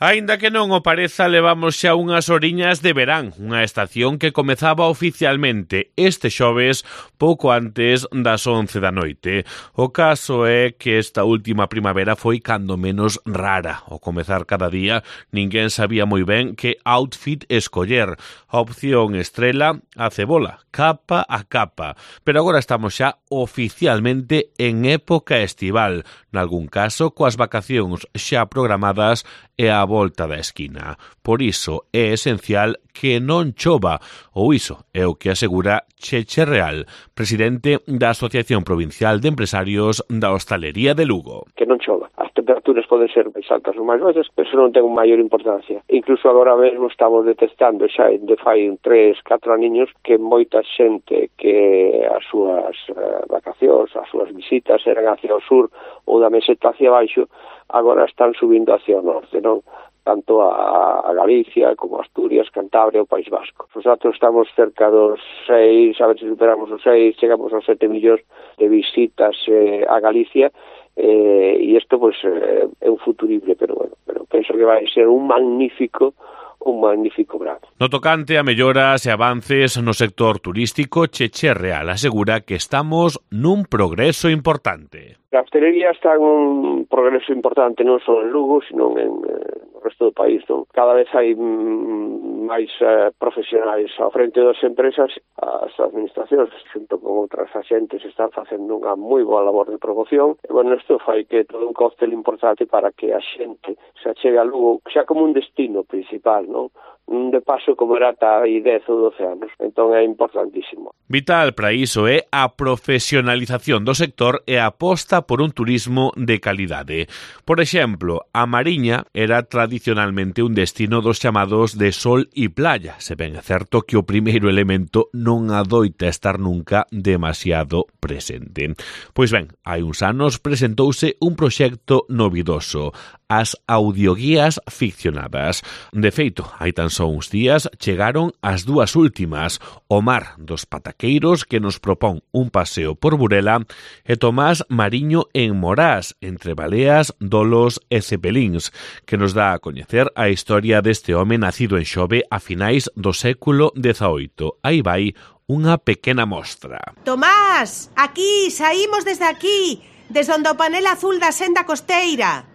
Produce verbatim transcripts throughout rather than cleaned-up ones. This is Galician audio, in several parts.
Aínda que non o pareza, levamos xa unhas horiñas de verán, unha estación que comezaba oficialmente este xoves pouco antes das once da noite. O caso é que esta última primavera foi cando menos rara. Ao comezar cada día, ninguén sabía moi ben que outfit escoller. A opción estrela, a cebola, capa a capa. Pero agora estamos xa oficialmente en época estival, nalgún caso coas vacacións xa programadas e a volta da esquina. Por iso é esencial que non chova, ou iso é o que asegura Cheche Real, presidente da Asociación Provincial de Empresarios da Hostalería de Lugo. Que non chova. As temperaturas poden ser máis altas ou máis baixas, pero non ten maior importancia. Incluso agora mesmo estamos detectando xa de fai tres, catro aniños que moita xente que as súas uh, vacacións, as súas visitas eran hacia o sur ou da meseta hacia baixo, agora están subindo hacia o norte, non? Tanto a, a Galicia como a Asturias, Cantabria ou País Vasco. Nosotros estamos cerca dos seis, a ver se superamos os seis, chegamos aos sete millóns de visitas eh, a Galicia, eh, e isto pues, eh, é un futurible, pero bueno, pero penso que vai ser un magnífico un magnífico verano. No tocante a melloras e avances no sector turístico, Cheche Real asegura que estamos nun progreso importante. A hostelería está en un progreso importante non só en Lugo, sino en eh, no resto do país. Non? Cada vez hai mm, máis eh, profesionais ao frente das empresas, as administracións, xunto con outras axentes, están facendo unha moi boa labor de promoción. E, bueno, isto fai que todo un cóctel importante para que a xente se achegue a Lugo xa como un destino principal, non? Un de paso como era ata aí dez ou doce anos. Entón é importantísimo. Vital para iso é a profesionalización do sector e a aposta por un turismo de calidade. Por exemplo, a Mariña era tradicionalmente un destino dos chamados de sol e playa, se ben é certo que o primeiro elemento non adoita estar nunca demasiado presente. Pois ben, hai uns anos presentouse un proxecto novidoso, as audioguías ficcionadas. De feito, hai tan só uns días chegaron as dúas últimas, o Mar dos Pataqueiros, que nos propón un paseo por Burela, e Tomás Mariño en Morás, entre baleas, dolos e cepelíns, que nos dá a coñecer a historia deste home nacido en Xove a finais do século dezaoito. Aí vai unha pequena mostra. Tomás, aquí, saímos desde aquí, desde onde o panel azul da senda costeira.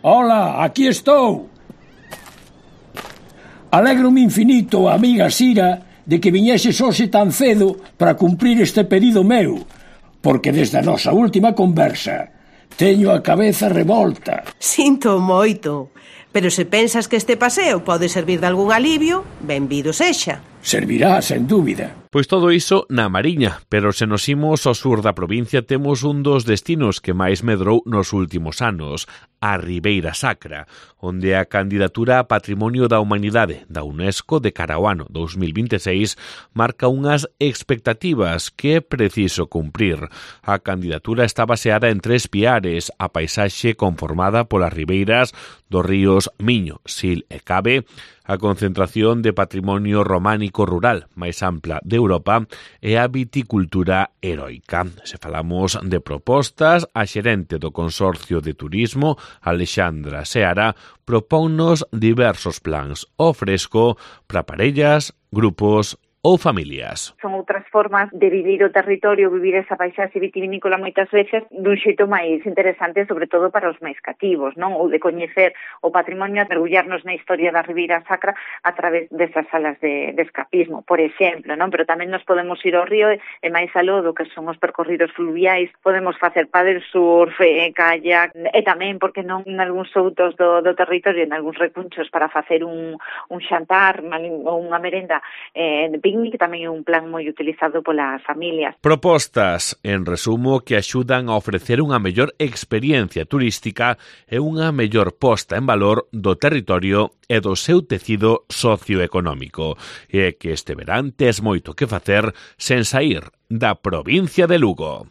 Hola, aquí estou. Alegro-me infinito, amiga Sira, de que viñeses hoxe tan cedo para cumprir este pedido meu, porque desde a nosa última conversa teño a cabeza revolta. Sinto moito, pero se pensas que este paseo pode servir de algún alivio, benvido sexa. Servirá, sen dúbida. Pois todo iso na Mariña, pero se nos imos ao sur da provincia temos un dos destinos que máis medrou nos últimos anos, a Ribeira Sacra, onde a candidatura a Patrimonio da Humanidade da UNESCO de cara ao ano dos mil vinte e seis marca unhas expectativas que é preciso cumprir. A candidatura está baseada en tres piares, a paisaxe conformada polas ribeiras dos ríos Miño, Sil e Cabe, a concentración de patrimonio románico rural máis ampla de Europa e a viticultura heroica. Se falamos de propostas, a xerente do Consorcio de Turismo, Alexandra Seara, propónnos diversos plans ao fresco para parellas, grupos ou familias. Son outras formas de vivir o territorio, vivir esa paisaxe vitivinícola moitas veces dun xeito máis interesante, sobre todo para os máis cativos, non? Ou de coñecer o patrimonio, mergullarnos na historia da Ribeira Sacra a través desas salas de, de escapismo, por exemplo, non? Pero tamén nos podemos ir ao río e, e máis aló do que son os percorridos fluviais, podemos facer paddle surf, e kayak, e tamén, porque non, en algúns outos do, do territorio, en algúns recunchos para facer un, un xantar ou unha merenda eh, de picnic, que tamén é un plan moi utilizado polas familias. Propostas, en resumo, que axudan a ofrecer unha mellor experiencia turística e unha mellor posta en valor do territorio e do seu tecido socioeconómico. E que este verán tes moito que facer sen saír da provincia de Lugo.